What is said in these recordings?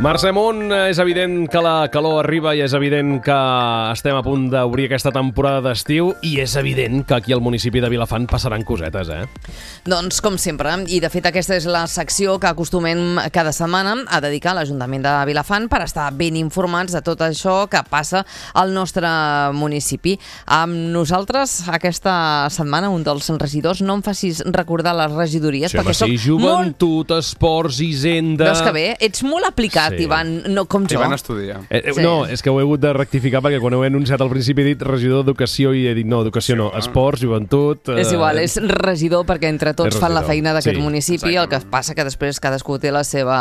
Mercè Munt, és evident que la calor arriba i és evident que estem a punt d'obrir aquesta temporada d'estiu i és evident que aquí al municipi de Vilafant passaran cosetes, Doncs com sempre, i de fet aquesta és la secció que acostumem cada setmana a dedicar a l'Ajuntament de Vilafant per estar ben informats de tot això que passa al nostre municipi. Amb nosaltres aquesta setmana un dels regidors, no em facis recordar les regidories, perquè soc Joventut, Esports, Hisenda... Veus que bé? Ets molt aplicat, Ivan, no com jo. Ivan estudia. No, és que ho he hagut de rectificar perquè quan ho he anunciat al principi he dit regidor d'Educació i he dit no, Educació no, Esports, Joventut... És igual, és regidor perquè entre tots fan la feina d'aquest municipi, exactament. el que passa que després cadascú té la seva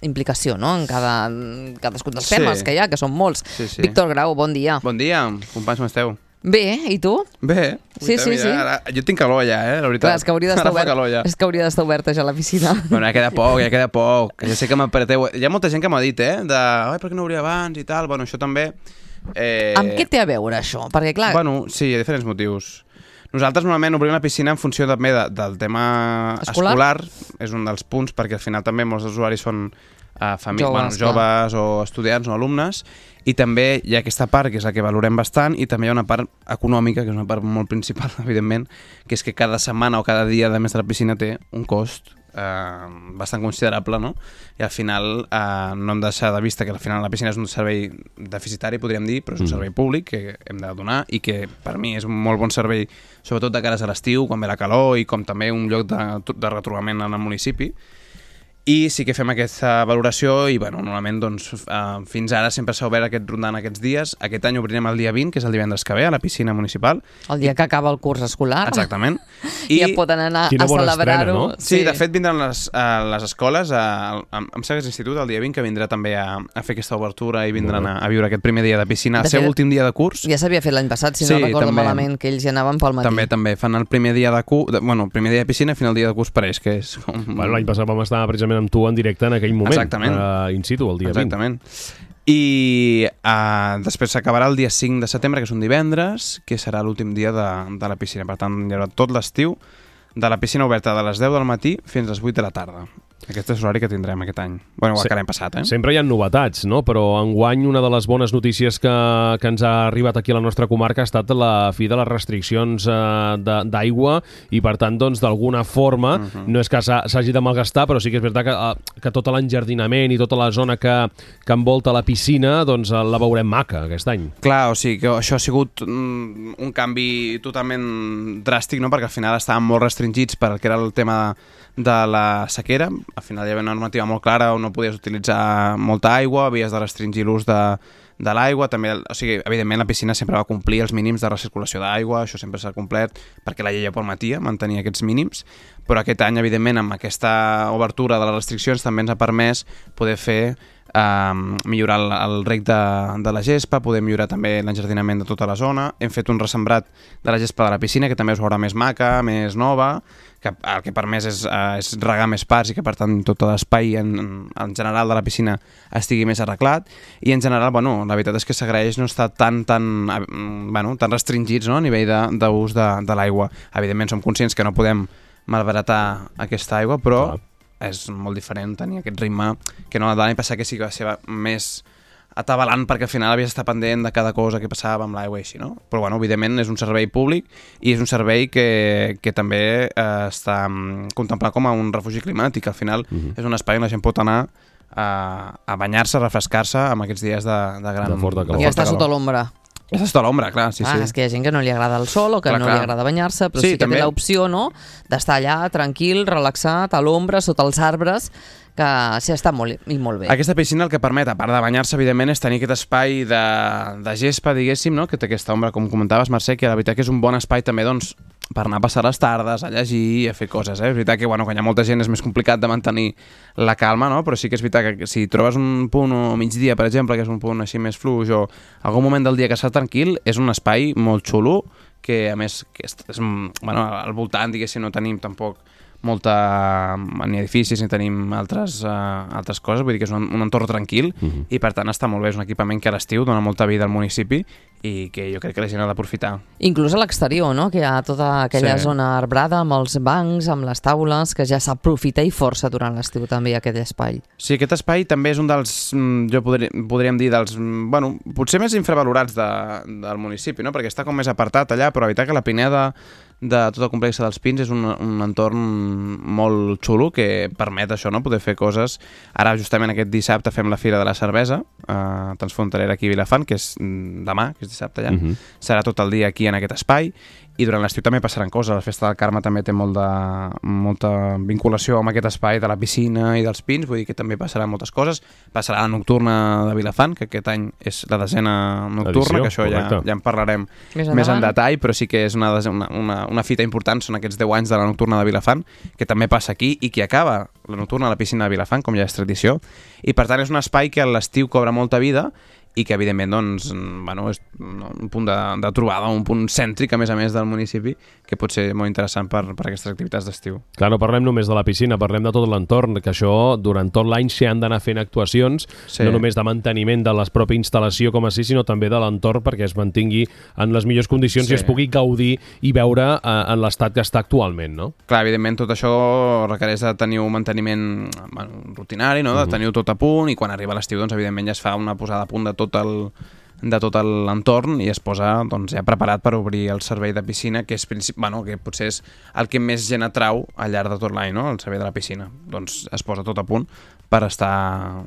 implicació, no?, en cadascun dels temes que hi ha, que són molts. Víctor Grau, bon dia. Bon dia, companys, com esteu? Bé, i tu? Bé. Sí. Ara, jo tinc calor ja, la veritat. Clar, és que hauria d'estar oberta ja la piscina. Bueno, ja queda poc. Ja sé que m'apreteu. Hi ha molta gent que m'ha dit, per què no obria abans i tal. Bueno, això també... Amb què té a veure això? Perquè, clar... Bueno, sí, hi ha diferents motius. Nosaltres normalment obrim la piscina en funció també del tema escolar. És un dels punts, perquè al final també molts usuaris són joves o estudiants o alumnes, i també hi ha aquesta part que és la que valorem bastant, i també hi ha una part econòmica, que és una part molt principal, evidentment, que és que cada setmana o cada dia de més de la piscina té un cost bastant considerable, no? I al final no hem de deixar de vista que al final la piscina és un servei deficitari, podríem dir, però és un servei públic que hem de donar i que per mi és un molt bon servei, sobretot de cares a l'estiu, quan ve la calor, i com també un lloc de retrobament en el municipi. I sí que fem aquesta valoració i, bueno, normalment, doncs, fins ara sempre s'ha obert aquest rondant aquests dies. Aquest any obrirem el dia 20, que és el divendres que ve, a la piscina municipal. El dia que acaba el curs escolar. Exactament. I ja poden anar a celebrar-ho. No? Sí, de fet, vindran les escoles, em sembla que és l'institut, el dia 20, que vindrà també a fer aquesta obertura i vindran a viure aquest primer dia de piscina, el seu últim dia de curs. Ja s'havia fet l'any passat, si no recordo malament, que ells hi anaven pel matí. També fan el primer dia primer dia de piscina i final dia de curs per ells, que és com... Bueno, l'any passat vam estar precisament amb tu en directe en aquell moment. Exactament. In situ, el dia 20. Exactament. I després s'acabarà el dia 5 de setembre, que és un divendres, que serà l'últim dia de la piscina. Per tant, hi haurà tot l'estiu de la piscina oberta de les 10 del matí fins a les 8 de la tarda. Aquest és l'horari que tindrem aquest any. Bueno, igual que l'any passat, Sempre hi ha novetats, no? Però enguany una de les bones notícies que ens ha arribat aquí a la nostra comarca ha estat la fi de les restriccions d'aigua i, per tant, doncs, d'alguna forma, no és que s'hagi de malgastar, però sí que és veritat que tot l'enjardinament i tota la zona que envolta la piscina, doncs, la veurem maca aquest any. Clar, o sigui que això ha sigut un canvi totalment dràstic, no? Perquè al final estaven molt restringits per el que era el tema de la sequera. Al final hi havia una normativa molt clara on no podies utilitzar molta aigua, havies de restringir l'ús de l'aigua, també, o sigui, evidentment la piscina sempre va complir els mínims de recirculació d'aigua, això sempre s'ha complert perquè la llei ja permetia mantenir aquests mínims, però aquest any, evidentment, amb aquesta obertura de les restriccions també ens ha permès poder fer millorar el reg de la gespa, poder millorar també l'enjardinament de tota la zona. Hem fet un ressembrat de la gespa de la piscina que també es veurà més maca, més nova, que el que ha permès és regar més parts i que per tant tot l'espai en general de la piscina estigui més arreglat, i en general, bueno, la veritat és que s'agraeix no estar tan restringits, no?, a nivell d'ús de l'aigua. Evidentment som conscients que no podem malbaratar aquesta aigua, però és molt diferent tenir aquest ritme que no l'any passat, que sí que va ser més atabalant perquè al final havies d'estar pendent de cada cosa que passava amb l'aigua i així, no? Però bueno, evidentment és un servei públic i és un servei que també està contemplat com a un refugi climàtic. Al final és un espai on la gent pot anar a banyar-se, a refrescar-se amb aquests dies de gran forta calor. I estar sota l'ombra. Ja està a l'ombra, clar, sí. És que hi ha gent que no li agrada el sol o que no li agrada banyar-se, però sí que té l'opció, no?, d'estar allà tranquil, relaxat, a l'ombra, sota els arbres, que sí, està molt bé. Aquesta piscina el que permet, a part de banyar-se, evidentment, és tenir aquest espai de gespa, diguéssim, no?, que té aquesta ombra, com comentaves, Mercè, que la veritat que és un bon espai també, doncs, per anar a passar les tardes, a llegir i a fer coses. És veritat que quan hi ha molta gent és més complicat de mantenir la calma, no? Però sí que és veritat que si trobes un punt o migdia, per exemple, que és un punt així més fluix, o algun moment del dia que està tranquil, és un espai molt xulo, que a més que és, al voltant, diguéssim, no tenim tampoc ni edificis ni tenim altres coses, vull dir que és un entorn tranquil i per tant està molt bé, és un equipament que a l'estiu dona molta vida al municipi i que jo crec que la gent ha d'aprofitar. Inclús a l'exterior, no? Que hi ha tota aquella zona arbrada amb els bancs, amb les taules, que ja s'aprofita i força durant l'estiu també aquest espai. Sí, aquest espai també és un dels, jo podríem dir, dels, bueno, potser més infravalorats del municipi, no? Perquè està com més apartat allà, però la veritat que la Pineda de tot el complex dels Pins és un entorn molt xulo que permet això, no? Poder fer coses. Ara justament aquest dissabte fem la Fira de la Cervesa transfronterera aquí a Vilafant, que és demà, que és dissabte ja. Serà tot el dia aquí en aquest espai i durant l'estiu també passaran coses. La Festa del Carme també té molta vinculació amb aquest espai de la piscina i dels Pins, vull dir que també passaran moltes coses. Passarà la nocturna de Vilafant, que aquest any és la 10ª nocturna, que això ja en parlarem més en detall, però sí que és una fita important, són aquests 10 anys de la nocturna de Vilafant, que també passa aquí i que acaba la nocturna a la piscina de Vilafant, com ja és tradició, i per tant és un espai que a l'estiu cobra molta vida i que evidentment doncs, bueno, és un punt de trobada, un punt cèntric a més del municipi, que pot ser molt interessant per aquestes activitats d'estiu. Clar, no parlem només de la piscina, parlem de tot l'entorn, que això durant tot l'any s'hi han d'anar fent actuacions, no només de manteniment de la pròpia instal·lació com així, sinó també de l'entorn perquè es mantingui en les millors condicions i es pugui gaudir i veure en l'estat que està actualment, no? Clar, evidentment tot això requereix de tenir un manteniment rutinari, no? De tenir-ho tot a punt, i quan arriba l'estiu doncs evidentment ja es fa una posada a punt de tot l'entorn i es posa doncs, ja preparat per obrir el servei de piscina, que que potser és el que més gent atrau al llarg de tot l'any, no? El servei de la piscina. Doncs es posa tot a punt per estar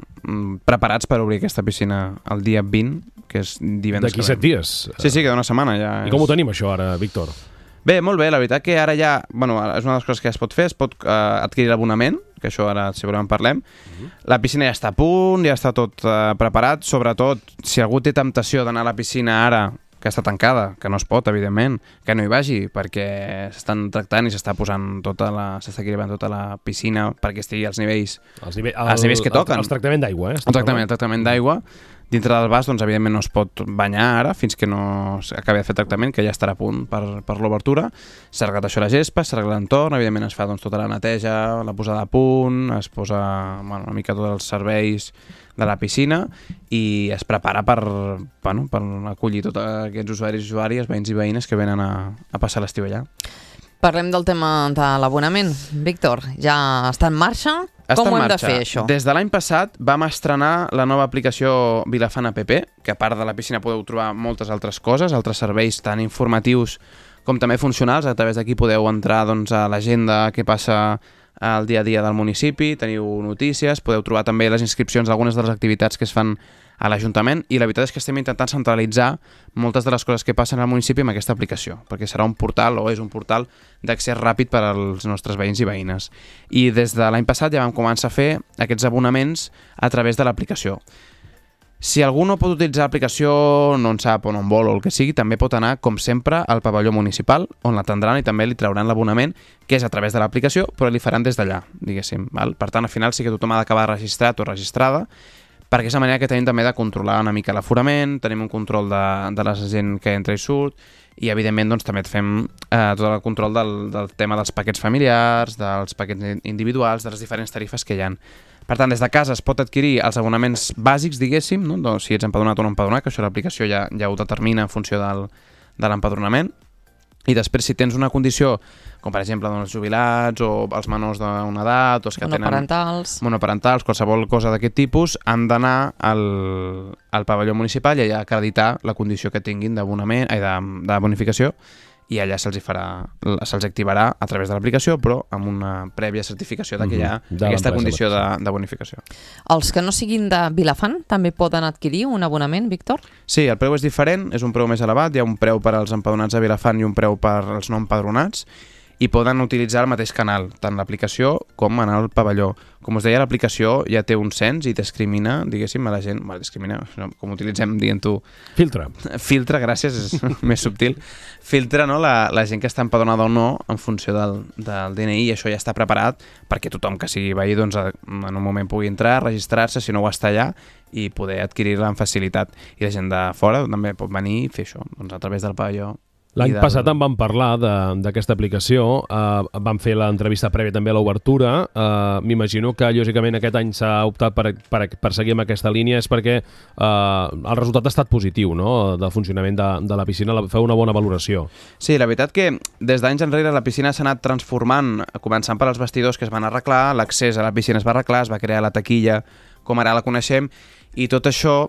preparats per obrir aquesta piscina el dia 20, que és divendres. D'aquí 7 dies? Sí, queda una setmana ja. I com ho tenim això ara, Víctor? Bé, molt bé, la veritat que ara ja, bueno, és una de les coses que ja es pot fer, es pot adquirir l'abonament, que això ara segurament parlem. La piscina ja està a punt, ja està tot preparat, sobretot si algú té temptació d'anar a la piscina ara, que està tancada, que no es pot, evidentment, que no hi vagi, perquè s'estan tractant i s'està equilibrant tota la piscina perquè estigui als nivells que toquen. El tractament d'aigua, El tractament d'aigua. Dintre del vas, doncs, evidentment, no es pot banyar ara fins que no acabi de fer tractament, que ja estarà a punt per l'obertura. S'ha arreglat això la gespa, s'ha arreglat l'entorn, evidentment es fa tota la neteja, la posada a punt, es posa una mica tots els serveis de la piscina i es prepara per acollir tots aquests usuaris i usuàries, veïns i veïnes que venen a passar l'estiu allà. Parlem del tema de l'abonament. Víctor, ja està en marxa? Com ho hem de fer, això? Des de l'any passat vam estrenar la nova aplicació Vilafant App, que a part de la piscina podeu trobar moltes altres coses, altres serveis tant informatius com també funcionals. A través d'aquí podeu entrar a l'agenda que passa al dia a dia del municipi, teniu notícies, podeu trobar també les inscripcions d'algunes de les activitats que es fan a l'Ajuntament, i la veritat és que estem intentant centralitzar moltes de les coses que passen al municipi amb aquesta aplicació, perquè serà un portal, o és un portal d'accés ràpid per als nostres veïns i veïnes. I des de l'any passat ja vam començar a fer aquests abonaments a través de l'aplicació. Si algú no pot utilitzar l'aplicació, no en sap o no en vol o el que sigui, també pot anar, com sempre, al pavelló municipal, on l'atendran i també li trauran l'abonament, que és a través de l'aplicació, però li faran des d'allà, diguéssim. Per tant, al final sí que tothom ha d'acabar registrat o registrada, perquè és la manera que tenim també de controlar una mica l'aforament, tenim un control de la gent que entra i surt, i evidentment doncs, també fem tot el control del tema dels paquets familiars, dels paquets individuals, de les diferents tarifes que hi ha. Per tant, des de casa es pot adquirir els abonaments bàsics, diguéssim, no? Doncs, si ets empadronat o no empadronat, que això l'aplicació ja ho determina en funció de l'empadronament. I després, si tens una condició, com per exemple els jubilats o els menors d'una edat, o els que tenen monoparentals, qualsevol cosa d'aquest tipus, han d'anar al pavelló municipal i allà acreditar la condició que tinguin de bonificació, i allà se'ls activarà a través de l'aplicació, però amb una prèvia certificació que hi ha aquesta condició de bonificació. Els que no siguin de Vilafant també poden adquirir un abonament, Víctor? Sí, el preu és diferent, és un preu més elevat, hi ha un preu per als empadronats de Vilafant i un preu per als no empadronats, i poden utilitzar el mateix canal, tant l'aplicació com anar al pavelló. Com us deia, l'aplicació ja té un cens i discrimina, diguéssim, a la gent... discrimina, com utilitzem, dient-ho... Filtra, gràcies, és més subtil. Filtra, no?, la gent que està empadronada o no en funció del DNI, i això ja està preparat perquè tothom que sigui veí doncs, en un moment pugui entrar, registrar-se, si no ho està allà, i poder adquirir-la amb facilitat. I la gent de fora també pot venir i fer això, doncs, a través del pavelló L'any passat en vam parlar d'aquesta aplicació, vam fer l'entrevista prèvia també a l'obertura. M'imagino que, lògicament, aquest any s'ha optat per seguir amb aquesta línia, és perquè el resultat ha estat positiu, no?, del funcionament de la piscina, feu una bona valoració. Sí, la veritat que des d'anys enrere la piscina s'ha anat transformant, començant per als vestidors que es van arreglar, l'accés a la piscina es va arreglar, es va crear la taquilla com ara la coneixem, i tot això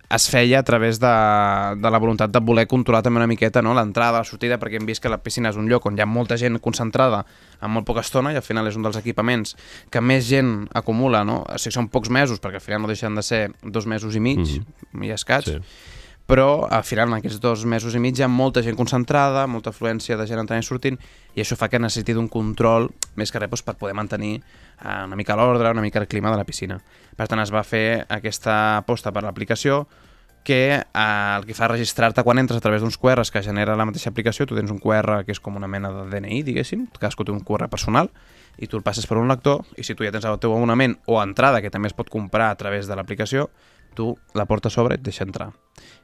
es feia a través de la voluntat de voler controlar també una miqueta, no?, l'entrada, la sortida, perquè hem vist que la piscina és un lloc on hi ha molta gent concentrada en molt poca estona i al final és un dels equipaments que més gent acumula, no? O sigui, són pocs mesos, perquè al final no deixen de ser 2 mesos i mig, i escaig, sí. Però al final en aquests 2 mesos i mig hi ha molta gent concentrada, molta afluència de gent entrant i sortint, i això fa que necessiti d'un control més que res per poder mantenir una mica l'ordre, una mica el clima de la piscina. Per tant, es va fer aquesta aposta per l'aplicació que el que fa registrar-te quan entres a través d'uns QRs que genera la mateixa aplicació. Tu tens un QR que és com una mena de DNI, diguéssim, cadascú té un QR personal, i tu el passes per un lector, i si tu ja tens el teu abonament o entrada, que també es pot comprar a través de l'aplicació, tu la portes sobre i et deixa entrar.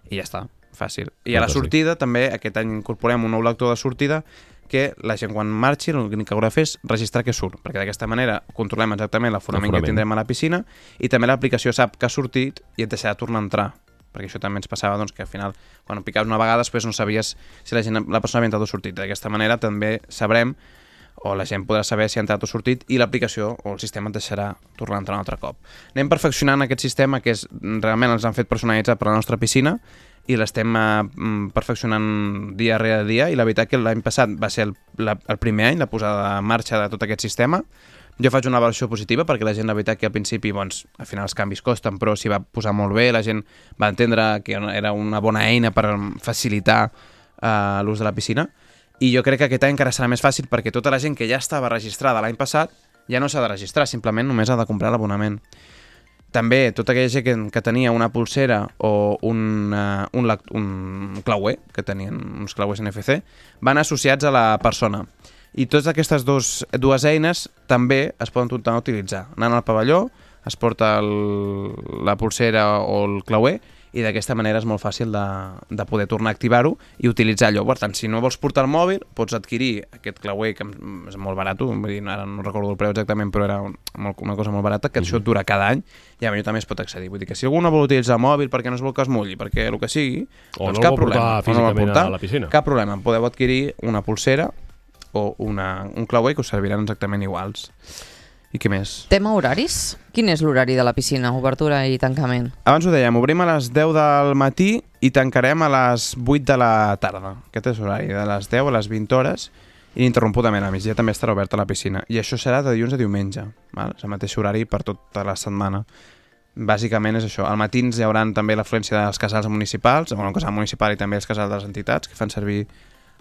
I ja està, fàcil. I a la sortida també, aquest any incorporem un nou lector de sortida que la gent quan marxi l'únic que haurà de fer és registrar que surt, perquè d'aquesta manera controlem exactament l'aforament que tindrem a la piscina i també l'aplicació sap que ha sortit i et deixarà tornar a entrar, perquè això també ens passava que al final quan picaves una vegada després no sabies si la persona havia entrat o sortit. D'aquesta manera també sabrem, o la gent podrà saber si ha entrat o sortit, i l'aplicació o el sistema et deixarà tornar a entrar un altre cop. Anem perfeccionant aquest sistema que realment els han fet personalitzat per a la nostra piscina i l'estem perfeccionant dia rere dia, i la veritat que l'any passat va ser el primer any, la posada en marxa de tot aquest sistema. Jo faig una valoració positiva perquè la gent, la veritat que al principi, doncs, al final els canvis costen, però s'hi va posar molt bé, la gent va entendre que era una bona eina per facilitar l'ús de la piscina, i jo crec que aquest any encara serà més fàcil perquè tota la gent que ja estava registrada l'any passat ja no s'ha de registrar, simplement només ha de comprar l'abonament. També tota aquella gent que tenia una pulsera o un clauer, que tenien uns clauers NFC, van associats a la persona. I totes aquestes dues eines també es poden tornar a utilitzar. Anant al pavelló, es porta la pulsera o el clauer, i d'aquesta manera és molt fàcil de poder tornar a activar-ho i utilitzar allò. Per tant, si no vols portar el mòbil, pots adquirir aquest clauer, que és molt barat, vull dir, ara no recordo el preu exactament, però era una cosa molt barata, que això et dura cada any, i a mi també es pot accedir. Vull dir que si algú no vol utilitzar el mòbil perquè no es vol que es mulli, perquè el que sigui, doncs cap problema. O no el vol portar físicament a la piscina. Cap problema, podeu adquirir una pulsera o un clauer que us serviran exactament iguals. I què més? Tema horaris? Quin és l'horari de la piscina? Obertura i tancament? Abans ho dèiem, obrim a les 10 del matí i tancarem a les 8 de la tarda. Aquest és l'horari, de les 10 a les 20 hores, i ininterrompudament a migdia també estarà oberta la piscina. I això serà de dilluns a diumenge, val? És el mateix horari per tota la setmana. Bàsicament és això. Al matí hi haurà també l'afluència dels casals municipals, el casal municipal i també els casals de les entitats que fan servir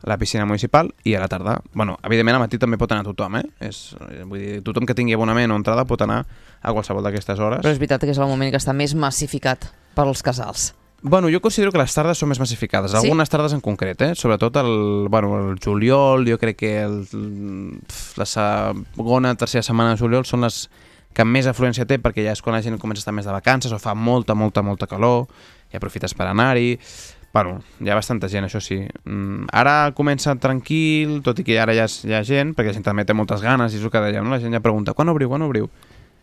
la piscina municipal, i a la tarda, bueno, evidentment al matí també pot anar tothom, vull dir, tothom que tingui abonament o entrada pot anar a qualsevol d'aquestes hores. Però és veritat que és el moment que està més massificat per als casals. Bueno, jo considero que les tardes són més massificades, algunes tardes en concret, sobretot el juliol, jo crec que la segona, tercera setmana de juliol són les que més afluència té, perquè ja és quan la gent comença a estar més de vacances o fa molta calor i aprofites per anar-hi. Bueno, hi ha bastanta gent, això sí. Ara comença tranquil, tot i que ara ja hi ha gent, perquè la gent també té moltes ganes, i és el que dèiem, no? La gent ja pregunta, quan obriu?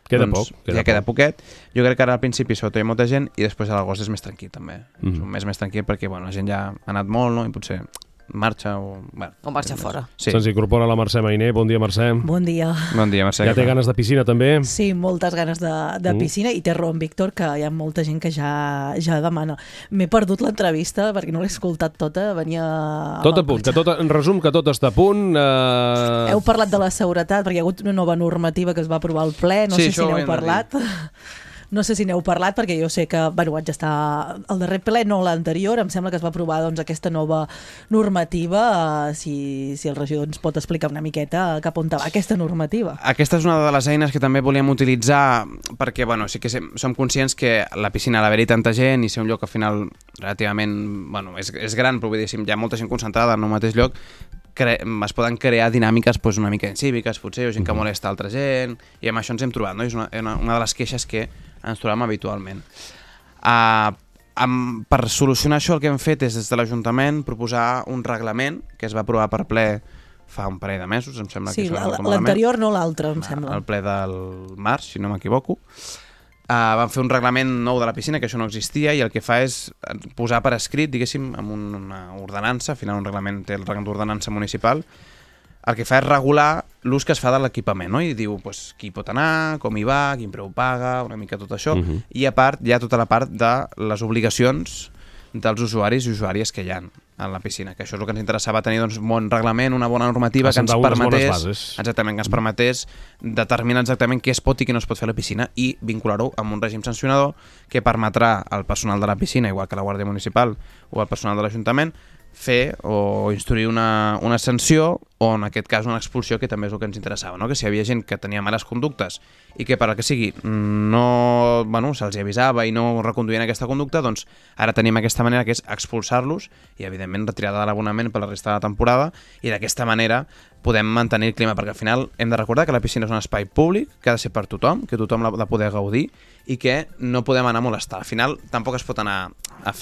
Queda poc. Queda poquet. Jo crec que ara al principi sobretot hi ha molta gent, i després a l'agost és més tranquil també. És un mes més tranquil perquè la gent ja ha anat molt, no? I potser marxa o... O marxa fora. Sí. Se'ns incorpora la Mercè Mainer. Bon dia, Mercè. Bon dia. Bon dia, Mercè. Ja té ganes de piscina, també? Sí, moltes ganes de piscina, i té raó en Víctor, que hi ha molta gent que ja demana. M'he perdut l'entrevista perquè no l'he escoltat tota, venia... Tot a punt, en resum, que tot està a punt. Heu parlat de la seguretat, perquè hi ha hagut una nova normativa que es va aprovar al ple, no sé si n'heu parlat. No sé si n'heu parlat, perquè jo sé que vaig estar al darrer ple, no l'anterior, em sembla que es va aprovar aquesta nova normativa. Si el regidor ens pot explicar una miqueta cap on va aquesta normativa. Aquesta és una de les eines que també volíem utilitzar, perquè sí que som conscients que la piscina, a l'haver-hi tanta gent i ser un lloc al final relativament és gran, però vull dir, si hi ha molta gent concentrada en un mateix lloc, es poden crear dinàmiques una mica incíviques, potser, o gent que molesta altra gent, i amb això ens hem trobat, no? És una de les queixes que ens trobem habitualment. Per solucionar això el que hem fet és des de l'Ajuntament proposar un reglament que es va aprovar per ple fa un parell de mesos, em sembla. Sí, l'anterior no l'altre, em sembla. El ple del març, si no m'equivoco. Van fer un reglament nou de la piscina, que això no existia, i el que fa és posar per escrit, diguéssim, amb una ordenança, al final un reglament té el rang d'ordenança municipal, el que fa és regular l'ús que es fa de l'equipament, no? I diu qui pot anar, com hi va, quin preu paga, una mica tot això, i a part hi ha tota la part de les obligacions dels usuaris i usuàries que hi ha a la piscina, que això és el que ens interessava tenir, doncs, un bon reglament, una bona normativa que ens permetés determinar exactament què es pot i què no es pot fer a la piscina i vincular-ho amb un règim sancionador que permetrà al personal de la piscina, igual que la Guàrdia Municipal o al personal de l'Ajuntament, fer o instruir una sanció o en aquest cas una expulsió, que també és el que ens interessava, no? Que si hi havia gent que tenia males conductes i que per el que sigui no, se'ls avisava i no reconduïen aquesta conducta, doncs ara tenim aquesta manera que és expulsar-los i evidentment retirada de l'abonament per la resta de la temporada, i d'aquesta manera podem mantenir el clima, perquè al final hem de recordar que la piscina és un espai públic que ha de ser per tothom, que tothom l'ha de poder gaudir i que no podem anar a molestar. Al final tampoc es pot anar a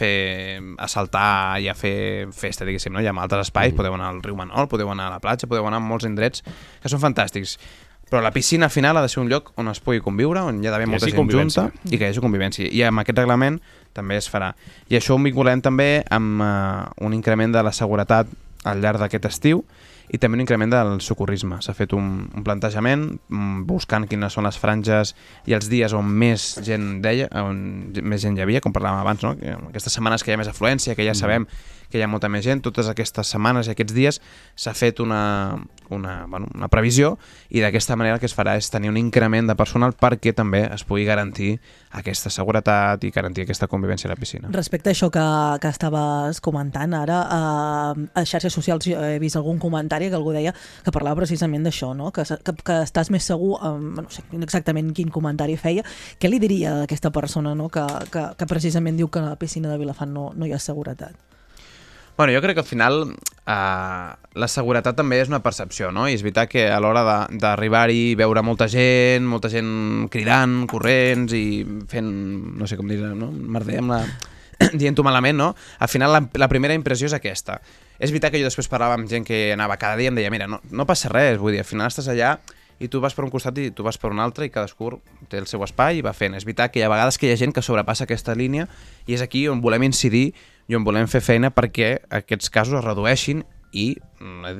saltar i a fer festa, diguéssim, no? Hi ha altres espais, podeu anar al riu Manol, podeu anar a la platja, podeu anar a molts indrets que són fantàstics. Però la piscina al final ha de ser un lloc on es pugui conviure, on hi ha d'haver molta gent junta i que hi hagi convivència. I amb aquest reglament també es farà. I això ho vinculem també amb un increment de la seguretat al llarg d'aquest estiu i també un increment del socorrisme. S'ha fet un plantejament buscant quines són les franges i els dies on més gent hi havia, com parlàvem abans, no? Aquestes setmanes que hi ha més afluència, que ja sabem que hi ha molta més gent, totes aquestes setmanes i aquests dies s'ha fet una previsió, i d'aquesta manera el que es farà és tenir un increment de personal perquè també es pugui garantir aquesta seguretat i garantir aquesta convivència a la piscina. Respecte a això que estaves comentant ara, a xarxes socials he vist algun comentari que algú deia que parlava precisament d'això, no? Que estàs més segur, no sé exactament quin comentari feia. Què li diria a aquesta persona, no? que precisament diu que a la piscina de Vilafant no hi ha seguretat? Bueno, jo crec que al final la seguretat també és una percepció, no? I és veritat que a l'hora d'arribar-hi i veure molta gent cridant, corrents i fent, no sé com dir, no? Merder dient-ho malament, no? Al final la primera impressió és aquesta. És veritat que jo després parlava amb gent que anava cada dia i em deia, mira, no passa res, vull dir, al final estàs allà i tu vas per un costat i tu vas per un altre i cadascú té el seu espai i va fent. És veritat que hi ha vegades que hi ha gent que sobrepassa aquesta línia i és aquí on volem incidir i on volem fer feina perquè aquests casos es redueixin i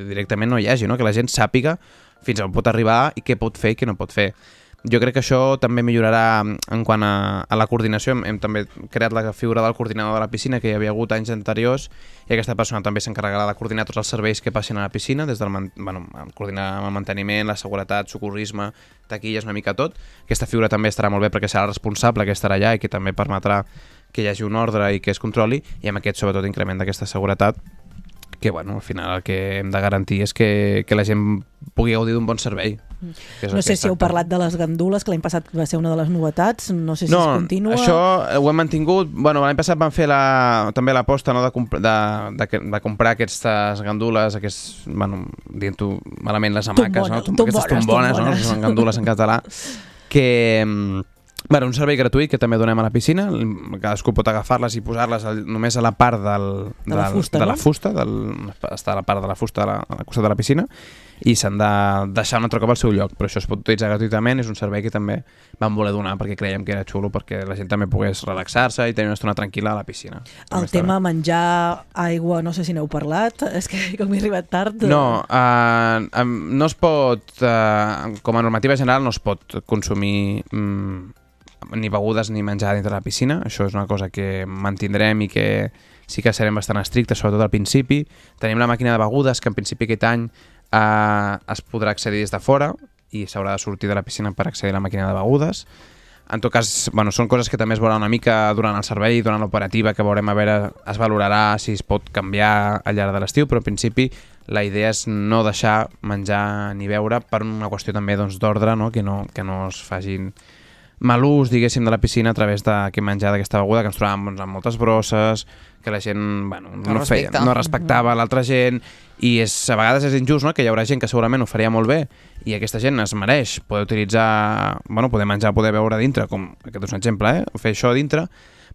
directament no hi hagi, no? Que la gent sàpiga fins on pot arribar i què pot fer i què no pot fer. Jo crec que això també millorarà en quant a la coordinació. Hem també creat la figura del coordinador de la piscina que hi havia hagut anys anteriors i aquesta persona també s'encarregarà de coordinar tots els serveis que passin a la piscina, des del coordinar el manteniment, la seguretat, socorrisme, taquilles, una mica tot. Aquesta figura també estarà molt bé perquè serà el responsable que estarà allà i que també permetrà que hi hagi un ordre i que es controli, i amb aquest sobretot increment d'aquesta seguretat que al final el que hem de garantir és que la gent pugui gaudir d'un bon servei. No sé si heu parlat de les gandules, que l'any passat va ser una de les novetats, no sé si es continua. No, això ho hem mantingut. L'any passat vam fer també l'aposta, no, de comprar aquestes gandules, dient-ho malament, les hamaques, aquestes tombones, no? Són gandules en català, que un servei gratuït que també donem a la piscina. Cadascú pot agafar-les i posar-les només a la part de la fusta, està a la part de la fusta al costat de la piscina, i s'han de deixar un altre cop al seu lloc, però això es pot utilitzar gratuïtament. És un servei que també vam voler donar perquè creiem que era xulo, perquè la gent també pogués relaxar-se i tenir una estona tranquil·la a la piscina. El tema menjar, aigua, no sé si n'heu parlat, és que com he arribat tard... No es pot, com a normativa general, no es pot consumir ni begudes ni menjar dintre la piscina. Això és una cosa que mantindrem i que sí que serem bastant estrictes, sobretot al principi. Tenim la màquina de begudes, que en principi aquest any es podrà accedir des de fora i s'haurà de sortir de la piscina per accedir a la màquina de begudes. En tot cas, són coses que també es veurà una mica durant el servei, durant l'operativa, que veurem a veure, es valorarà si es pot canviar al llarg de l'estiu, però en principi la idea és no deixar menjar ni beure per una qüestió també d'ordre, no? Que no es facin mal ús, diguéssim, de la piscina a través d'aquest menjar, d'aquesta beguda, que ens trobàvem amb moltes brosses, que la gent no respectava l'altra gent, i a vegades és injust, no? Que hi haurà gent que segurament ho faria molt bé i aquesta gent es mereix poder utilitzar, poder menjar, poder beure dintre, com aquest és un exemple, fer això dintre,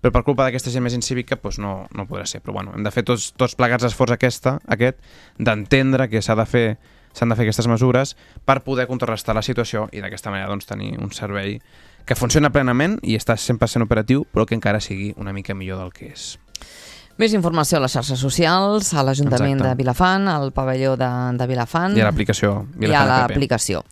però per culpa d'aquesta gent més incívica no podrà ser. Però bueno, hem de fer tots plegats l'esforç aquest d'entendre que s'han de fer aquestes mesures per poder contrarrestar la situació i d'aquesta manera tenir un servei que funciona plenament i està 100% operatiu, però que encara sigui una mica millor del que és. Més informació a les xarxes socials, a l'Ajuntament de Vilafant, al pavelló de Vilafant. I a l'aplicació. I a l'aplicació.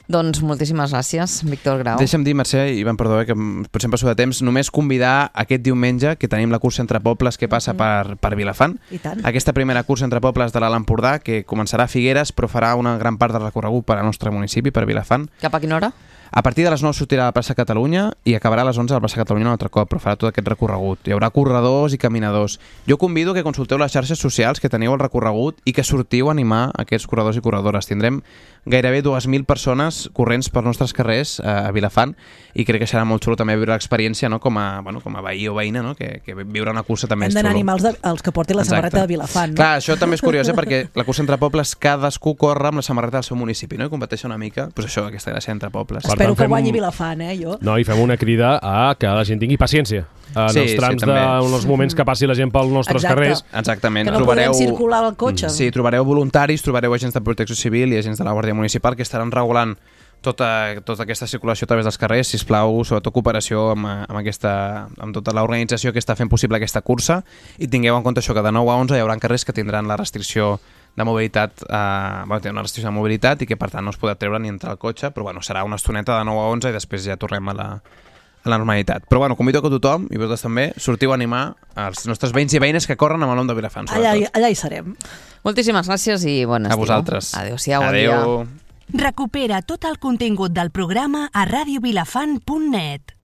Doncs moltíssimes gràcies, Víctor Grau. Deixa'm dir, Mercè, Ivan, perdó, que potser em passo de temps, només convidar aquest diumenge que tenim la cursa entre pobles que passa per Vilafant. I tant. Aquesta primera cursa entre pobles de l'Alt Empordà, que començarà a Figueres, però farà una gran part del recorregut per al nostre municipi, per Vilafant. Cap a quina hora? A partir de les 9 sortirà a la plaça Catalunya i acabarà a les 11 a la plaça Catalunya un altre cop, però farà tot aquest recorregut. Hi haurà corredors i caminadors. Jo convido que consulteu les xarxes socials que teniu el recorregut i que sortiu a animar aquests corredors i corredores. Tindrem gairebé 2.000 persones corrents pels nostres carrers a Vilafant i crec que serà molt xulo també viure l'experiència, no? com a veí o veïna, no? que viure una cursa també és xulo. Hem d'anar a animar els que portin la samarreta de Vilafant. No? Clar, això també és curiós, perquè la cursa entre pobles cadascú corre amb la samarreta del seu municipi, no? I competeix una mica, doncs això, aquesta gràcia entre pobles. Espero que guanyi Vilafant, jo. No, i fem una crida a que la gent tingui paciència en els trams dels moments que passi la gent pels nostres carrers. Exactament. Que no podem circular el cotxe. Sí, trobareu voluntaris, trobareu agents de protecció civil i agents de la Guàrdia Municipal que estaran regulant tota aquesta circulació a través dels carrers, sisplau, sobretot cooperació amb tota l'organització que està fent possible aquesta cursa, i tingueu en compte això, que de 9 a 11 hi haurà carrers que tindran la restricció de mobilitat, tenen una restricció de mobilitat i que per tant no es podrà treure ni entrar al cotxe, però bueno, serà una estoneta de 9 a 11 i després ja tornem a la normalitat. Però bueno, convido que tothom, i vosaltres també, sortiu a animar els nostres veïns i veïnes que corren amb el nom de Vilafant. Allà hi serem. Moltíssimes gràcies i bon estiu. A vosaltres. Adéu-siau. Adéu. Recupera tot el contingut del programa a radiovilafant.net.